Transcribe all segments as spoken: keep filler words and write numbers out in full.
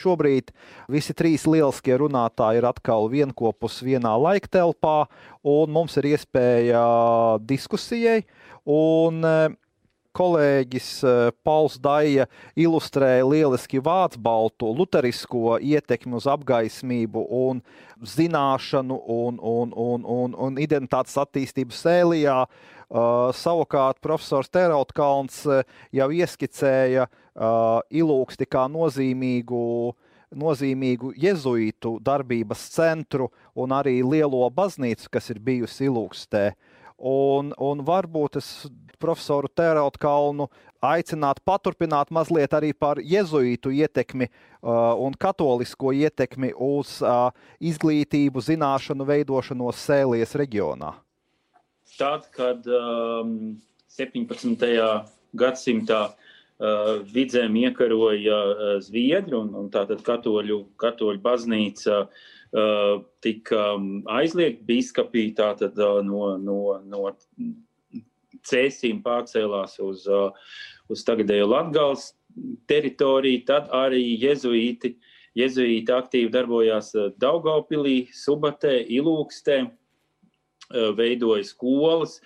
šobrīd visi trīs lieliskie runātāji ir atkal vienkopus vienā laiktelpā, un mums ir iespēja diskusijai. Un kolēģis Pauls Daija ilustrēja lieliski vācbaltu luterisko ietekmi uz apgaismību un zināšanu un, un, un, un, un identitātes attīstību Sēlijā. Uh, savukārt profesors Terautkalns jau ieskicēja uh, Ilūksti kā nozīmīgu, nozīmīgu jezuītu darbības centru un arī lielo baznīcu, kas ir bijusi Ilūkstē. Un, un varbūt es profesoru Terautkalnu aicinātu paturpināt mazliet arī par jezuītu ietekmi uh, un katolisko ietekmi uz uh, izglītību, zināšanu veidošanos Sēlijas reģionā. Tad, kad um, septiņpadsmitajā gadsimtā uh, vidzēm iekaroja uh, Zviedri un, un tātad katoļu, katoļu baznīca Uh, tika um, aizliegt biskupī, tātad uh, no, no, no Cēsīm pārcēlās uz, uh, uz tagadējo Latgales teritoriju, tad arī jezuīti, jezuīti aktīvi darbojās Daugavpilī, Subatē, Ilūkstē, uh, veidoja skolas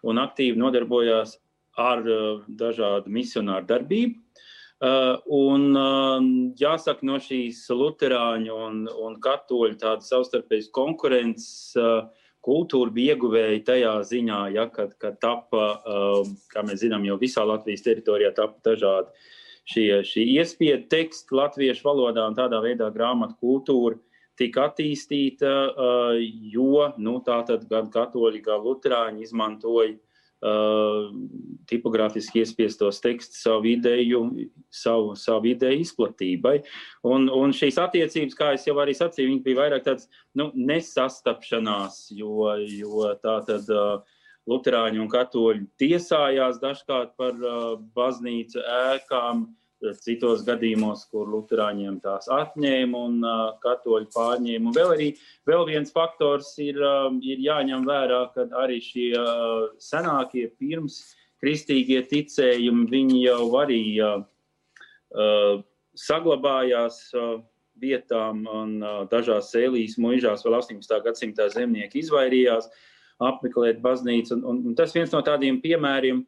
un aktīvi nodarbojās ar uh, dažādu misionāru darbību. Uh, un uh, jāsaka, no šīs luterāņu un, un katoļu tāda savstarpējas konkurences uh, kultūra bija ieguvēja tajā ziņā, ja, kad, kad tapa, uh, kā mēs zinām, jau visā Latvijas teritorijā tapa dažādi šie, šie iespiedu teksti latviešu valodā, un tādā veidā grāmatu kultūra tika attīstīta, uh, jo nu, tātad gan katoļi, gan luterāņi izmantoja Uh, tipogrāfiski iespiestos tekstus savu ideju, savu, savu ideju izplatībai. Un, un šīs attiecības, kā es jau arī sacīju, viņi bija vairāk tāds, nu, nesastapšanās, jo, jo tā tad uh, luterāņi un katoļi tiesājās dažkārt par uh, baznīcu ēkām, citos gadījumos, kur luterāņiem tās atņēma un uh, katoļi pārņēma. Un vēl arī vēl viens faktors ir, uh, ir jāņem vērā, kad arī šie uh, senākie pirms kristīgie ticējumi, viņi jau arī uh, uh, saglabājās uh, vietām un uh, dažās Sēlijas muižās vēl astoņpadsmitā gadsimtā zemnieki izvairījās apmeklēt baznīcu. Un, un, un tas viens no tādiem piemēriem,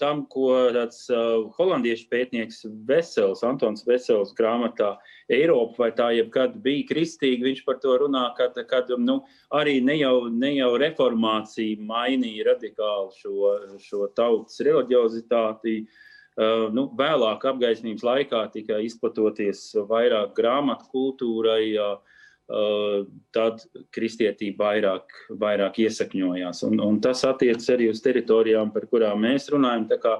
tam, ko tāds uh, holandiešu pētnieks Vesels, Antons Vesels grāmatā Eiropa vai tā jebkad bija kristīga, viņš par to runā, kad, kad nu, arī ne jau, ne jau reformācija mainīja radikāli šo, šo tautas reliģiozitāti. Uh, nu, vēlāk apgaismības laikā tika izplatoties vairāk grāmatu kultūrai, uh, Uh, tad kristietība vairāk, vairāk iesakņojās. Un, un tas attiecas arī uz teritorijām, par kurām mēs runājam. Tā kā,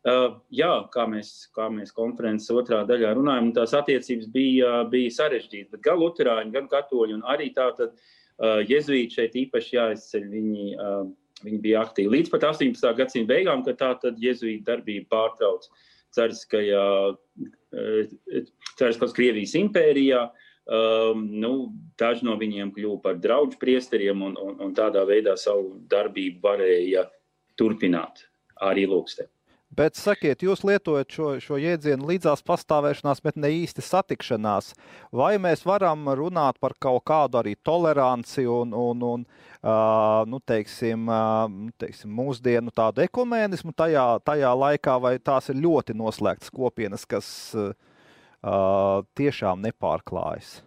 uh, jā, kā mēs, kā mēs konferences otrā daļā runājam, tās attiecības bija, bija sarežģītas, bet gan luterāņi, gan katoļi un arī tātad uh, jezuīti šeit īpaši jāizceļ, viņi, uh, viņi bija aktīvi. Līdz pat astoņpadsmitā gadsimta beigām, kad tātad jezuīti darbība pārtrauc Cariskajā, uh, Cariskās Krievijas impērijā. Um, nu, daži no viņiem kļuva par draudžu priesteriem un, un, un tādā veidā savu darbību varēja turpināt arī Ilūkstē. Bet sakiet, jūs lietojat šo, šo jēdzienu līdzās pastāvēšanās, bet ne īsti satikšanās. Vai mēs varam runāt par kaut kādu arī toleranci un, un, un uh, nu, teiksim, uh, teiksim, mūsdienu tādu ekumēnismu tajā, tajā laikā, vai tās ir ļoti noslēgtas kopienas, kas uh, Uh, tiešām nepārklājas?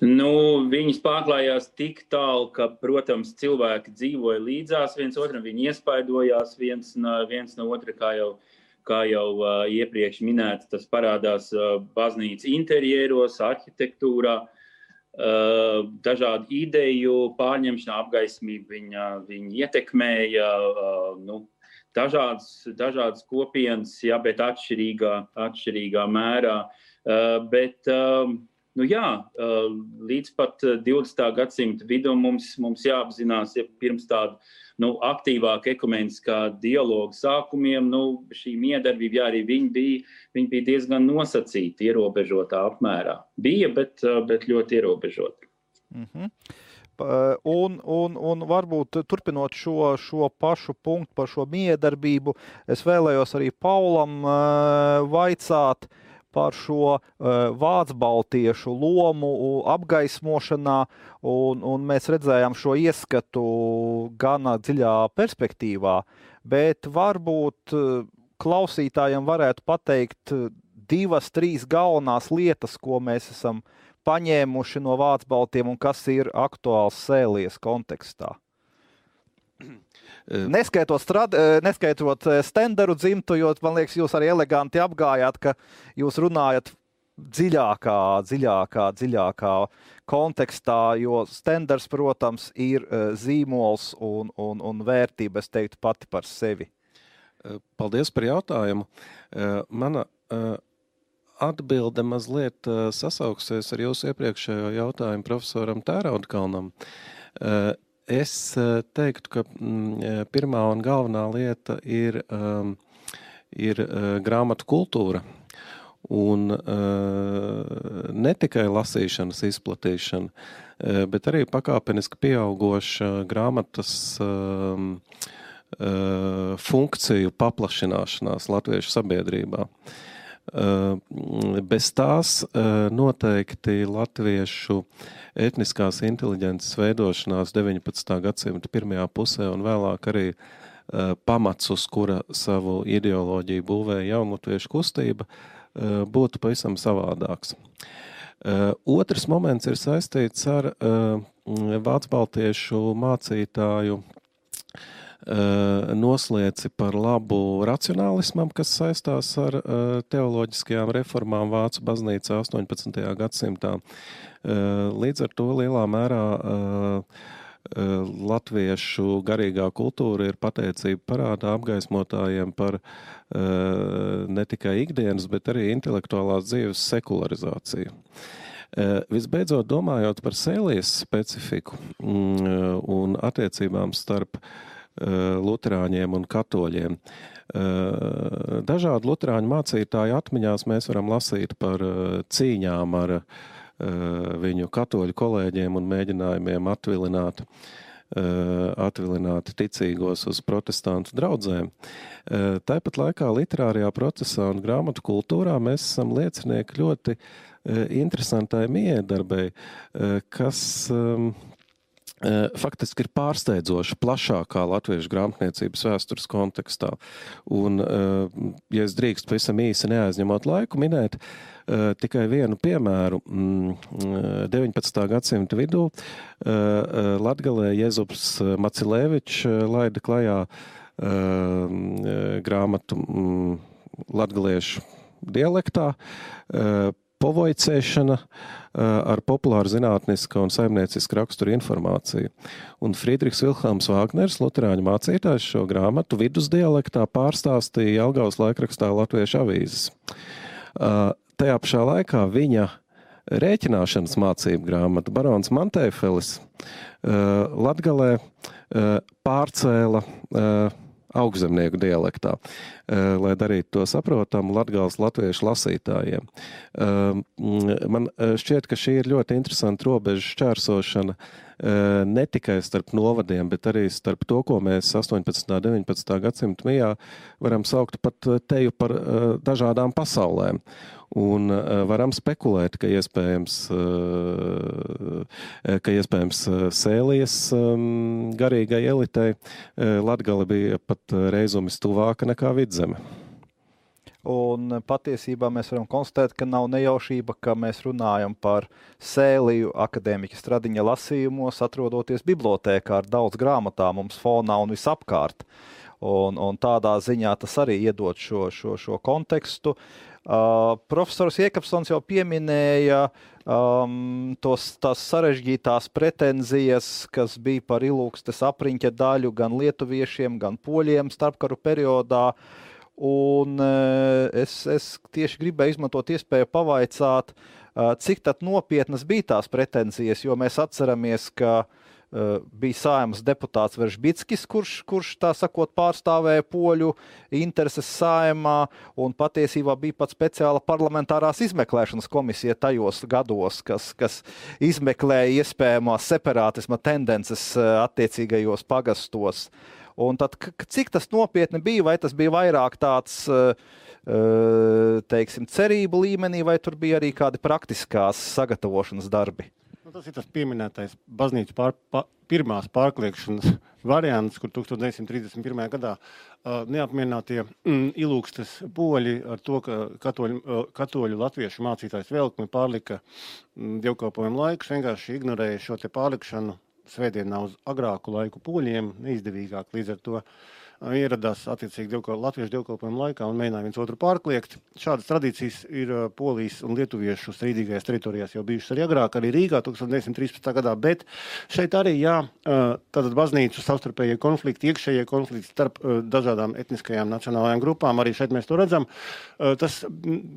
Nu, viņas pārklājās tik tālu, ka, protams, cilvēki dzīvoja līdzās viens otram, viņi iespaidojās viens, viens no otra, kā jau, kā jau uh, iepriekš minēts, tas parādās uh, baznīcas interjeros, arhitektūrā, uh, dažādu ideju pārņemšanā, apgaismību viņa, viņa ietekmēja, uh, nu, Dažādas, dažādas kopienas, jā, bet atšķirīgā, atšķirīgā mērā. Uh, bet, uh, nu jā, uh, līdz pat divdesmitā gadsimta vidum mums, mums jāapzinās, ja pirms tādu nu, aktīvāku ekumeniskā dialogu sākumiem, nu, šī miedarbība, jā, arī viņi bija, viņi bija diezgan nosacīti, ierobežotā apmērā. Bija, bet, uh, bet ļoti ierobežoti. Mhm. Un, un, un varbūt turpinot šo, šo pašu punktu par šo miedarbību, es vēlējos arī Paulam uh, vaicāt par šo uh, vācu-baltiešu lomu apgaismošanā, un, un mēs redzējām šo ieskatu gana dziļā perspektīvā, bet varbūt uh, klausītājiem varētu pateikt divas, trīs galvenās lietas, ko mēs esam paņēmuši no vācu-baltiem un kas ir aktuāls Sēlies kontekstā. Neskaitot, strad, neskaitot Stenderu dzimtu, jo, man liekas, jūs arī eleganti apgājāt, ka jūs runājat dziļākā, dziļākā, dziļākā kontekstā, jo Stenders, protams, ir zīmols un, un, un vērtība, es teiktu, pati par sevi. Paldies par jautājumu. Mana atbilde mazliet sasauksies ar jūsu iepriekšējo jautājumu profesoram Tēraudkalnam. Es teiktu, ka pirmā un galvenā lieta ir, ir grāmatu kultūra un ne tikai lasīšanas izplatīšana, bet arī pakāpeniski pieaugoša grāmatas funkciju paplašināšanās latviešu sabiedrībā. Bez tās noteikti latviešu etniskās inteliģences veidošanās deviņpadsmitā gadsimta pirmajā pusē un vēlāk arī pamats, uz kura savu ideoloģiju būvēja jaunlatviešu kustība, būtu pavisam savādāks. Otrs moments ir saistīts ar vācu-baltiešu mācītāju noslieci par labu racionālismam, kas saistās ar teoloģiskajām reformām Vācu baznīcā astoņpadsmitajā gadsimtā. Līdz ar to lielā mērā latviešu garīgā kultūra ir pateicība parādā apgaismotājiem par ne tikai ikdienas, bet arī intelektuālās dzīves sekularizāciju. Visbeidzot, domājot par Sēlies specifiku un attiecībām starp luterāņiem un katoļiem. Dažādu luterāņu mācītāju atmiņās mēs varam lasīt par cīņām ar viņu katoļu kolēģiem un mēģinājumiem atvilināt, atvilināt ticīgos uz protestantu draudzēm. Tāpat laikā literārajā procesā un grāmatu kultūrā mēs esam liecinieki ļoti interesantai miedarbei, kas faktiski ir pārsteidzoši plašākā latviešu grāmatniecības vēstures kontekstā. Un, ja es drīkst pavisam īsi neaizņemot laiku, minēt tikai vienu piemēru. deviņpadsmitā gadsimta vidū Latgalē Jezups Macilēvičs laida klajā grāmatu latgaliešu dialektā, povojcēšana ar populāru zinātniska un saimnieciska rakstura informāciju. Un Friedrichs Vilhelms Vāgners, luterāņu mācītājs, šo grāmatu vidusdialektā pārstāstīja Jelgavas laikrakstā Latviešu avīzes. Tajā pašā laikā viņa rēķināšanas mācību grāmatu barons Manteifelis Latgalē pārcēla augšzemnieku dialektā, lai darītu to saprotamu Latgales latviešu lasītājiem. Man šķiet, ka šī ir ļoti interesanta robežu šķērsošana ne tikai starp novadiem, bet arī starp to, ko mēs astoņpadsmitā, deviņpadsmitā gadsimta mijā varam saukt pat teju par dažādām pasaulēm. Un varam spekulēt, ka iespējams, ka iespējams Sēlies garīgai elitei Latgale bija pat reizumis tuvāka nekā Vidzeme. Un patiesībā mēs varam konstatēt, ka nav nejaušība, ka mēs runājam par Sēliju akadēmiķa Stradiņa lasījumos, atrodoties bibliotēkā ar daudz grāmatām mums fonā un visapkārt. Un, un tādā ziņā tas arī iedod šo, šo, šo kontekstu. Uh, profesors Iekapsons jau pieminēja um, tos, tās sarežģītās pretenzijas, kas bija par Ilūgstes apriņķa daļu gan lietuviešiem, gan poļiem starpkaru periodā. Un uh, es, es tieši gribēju izmantot iespēju pavaicāt, uh, cik tad nopietnas bija tās pretenzijas, jo mēs atceramies, ka Uh, bija Saeimas deputāts Veržbickis, kurš, kurš tā sakot pārstāvēja poļu intereses Saeimā, un patiesībā bija pat speciāla parlamentārās izmeklēšanas komisija tajos gados, kas, kas izmeklēja iespējamās separātisma tendences uh, attiecīgajos pagastos. Un tad, cik tas nopietni bija, vai tas bija vairāk tāds uh, teiksim, cerību līmenī, vai tur bija arī kādi praktiskās sagatavošanas darbi? Nu, tas ir tas pieminētais baznīcas pār, pa, pirmās pārkliekšanas variants, kur tukstot deviņsimt trīsdesmit pirmajā gadā uh, neapmierinātie mm, ilūgstas poļi ar to, ka katoļu, uh, katoļu latviešu mācītājs Velkmi pārlika mm, dievkalpojumu laikus, vienkārši ignorēja šo te pārlikšanu svētdienā uz agrāku laiku poļiem, neizdevīgāk līdz ar to ieradās attiecīgi dievkal, latviešu dievkalpojumu laikā un mēģināja viens otru pārkliegt. Šādas tradīcijas ir Polijas un lietuviešu strīdīgajās teritorijās jau bijušas arī agrāk, arī Rīgā tukstot deviņsimt trīspadsmitā gadā, bet šeit arī, jā, tātad baznīcu savstarpējie konflikti, iekšējie konflikti starp dažādām etniskajām nacionālajām grupām, arī šeit mēs to redzam. Tas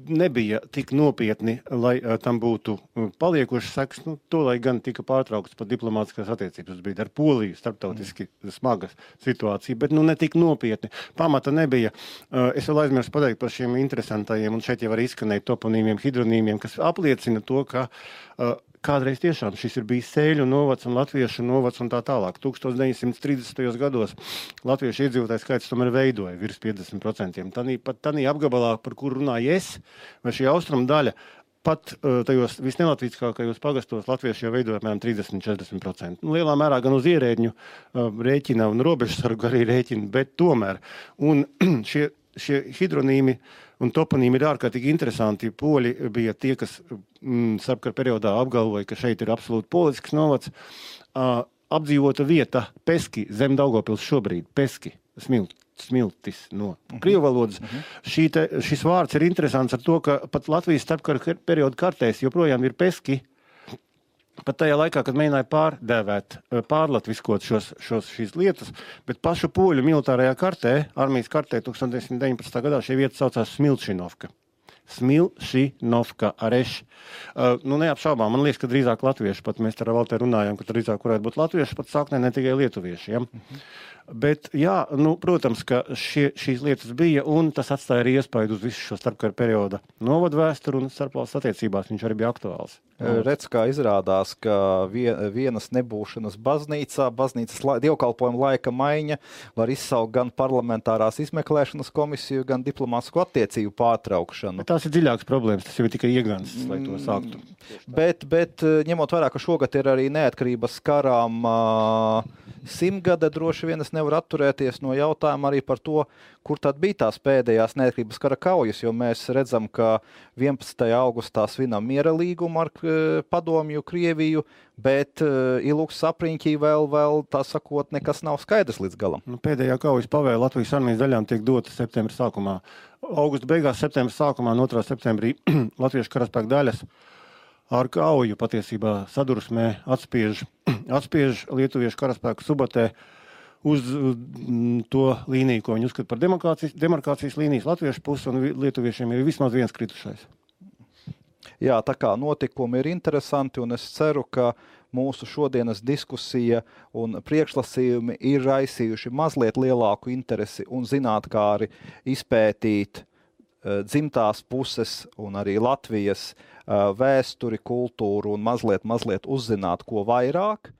nebija tik nopietni, lai tam būtu paliekošas sekas, nu, to, lai gan tika pārtrauktas pat diplomātiskās attiecības, bija ar Poliju starptautiski smaga situācija, bet nu ne tik nopietni. Pamata nebija. Es vēl aizmirstu pateikt par šiem interesantajiem, un šeit jau arī izskanēja toponīmiem, hidronīmiem, kas apliecina to, ka kādreiz tiešām šis ir bijis Sēļu novads un Latviešu novads un tā tālāk. tukstot deviņsimt trīsdesmitajos gados latviešu iedzīvotāju skaits tomēr veidoja virs piecdesmit procentiem. Tanī, pat tanī apgabalā, par kur runāju es, vai šī austrumu daļa, pat uh, tajos visnelatvīskākajos pagastos latvieši jau veidoja apmēram trīsdesmit līdz četrdesmit procenti. Nu, lielā mērā gan uz ierēģņu uh, rēķina un robežsargu arī rēķina, bet tomēr. Un šie, šie hidronīmi un toponīmi ir ārkārtīgi interesanti. Poļi bija tie, kas mm, starpkara periodā apgalvoja, ka šeit ir absolūti polisks novads. Uh, apdzīvota vieta Peski, zem Daugavpils šobrīd, Peski, smilt. smiltis no krievu valodas. Uh-huh. Šī te, šis vārds ir interesants ar to, ka pat Latvijas starpkara perioda kartēs joprojām ir Peski, pat tajā laikā, kad mēģināja pārdēvēt, pārlatviskot šos, šos, šīs lietas, bet pašu poļu militārajā kartē, armijas kartē tukstot deviņsimt deviņpadsmitā gadā šie vieta saucās Smilšinovka. Smilšinovka areš. Uh, nu, neapšaubām, man liekas, ka drīzāk latvieši, pat mēs ar Valteru runājam, ka drīzāk varētu būt latvieši, pat sāknē ne tikai lietuvieši. Ja? Uh-huh. Bet, jā, nu, protams, ka šie, šīs lietas bija, un tas atstāja arī iespaidu uz visu šo starpkara perioda novadu vēsturu un starpvalstu attiecībās viņš arī bija aktuāls. Redz, kā izrādās, ka vienas nebūšanas baznīcā, baznīcas la, dievkalpojuma laika maiņa var izsaukt gan parlamentārās izmeklēšanas komisiju, gan diplomātisko attiecību pārtraukšanu. Bet tās ir dziļākas problēmas, tas jau ir tikai iegansts, lai to sāktu. Bet, bet ņemot vērā, ka šogad ir arī neatkarības karām uh, simtgade, droši vien es nevaru atturēties no jautājuma arī par to, kur tad bija tās pēdējās neatkarības kara kaujas, jo mēs redzam, ka vienpadsmitajā augustā svinam miera līgumu ar padomju Krieviju, bet uh, Ilūks apriņķī vēl, vēl, tā sakot, nekas nav skaidrs līdz galam. Nu, pēdējā kaujas pavēle Latvijas armijas daļām tiek dota septembra sākumā. Augusta beigās, septembra sākumā un otrā septembrī Latviešu karaspēku daļas ar kauju patiesībā sadursmē atspiež, atspiež lietuviešu karaspēku Subatē uz to līniju, ko viņi uzskata par demarkācijas, demarkācijas līnijas latviešu pusi, un lietuviešiem ir vismaz viens kritušais. Jā, tā kā notikumi ir interesanti, un es ceru, ka mūsu šodienas diskusija un priekšlasījumi ir raisījuši mazliet lielāku interesi un zinātkāri izpētīt uh, dzimtās puses un arī Latvijas uh, vēsturi, kultūru un mazliet, mazliet uzzināt, ko vairāk.